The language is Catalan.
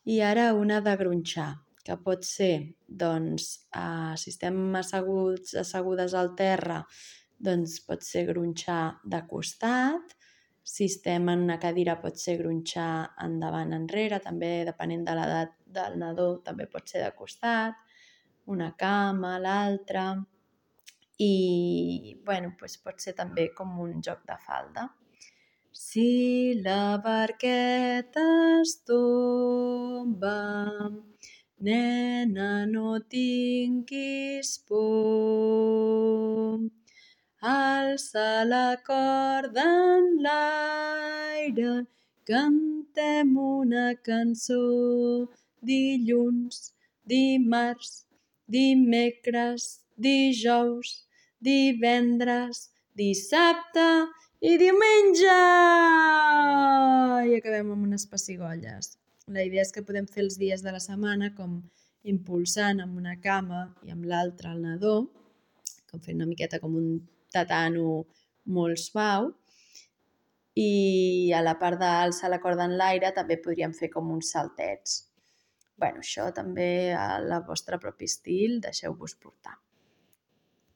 I ara una de gronxar, que pot ser, doncs, si estem assegudes al terra, doncs pot ser gronxar de costat. Si estem en una cadira pot ser gronxar endavant enrere, també depenent de l'edat del nadó, també pot ser de costat, una cama, l'altra. I doncs pot ser també com un joc de falda. Si la barqueta es tomba, nena, no tinguis por. Alça la corda en l'aire, cantem una cançó. Dilluns, dimarts, dimecres, dijous, divendres, dissabte i diumenge! I acabem amb unes pessigolles. La idea és que podem fer els dies de la setmana com impulsant amb una cama i amb l'altra el nadó, com fent una miqueta com un tatano molt suau, i a la part d'alçar la corda en l'aire també podríem fer com uns saltets. Això també a la vostra propi estil, deixeu-vos portar.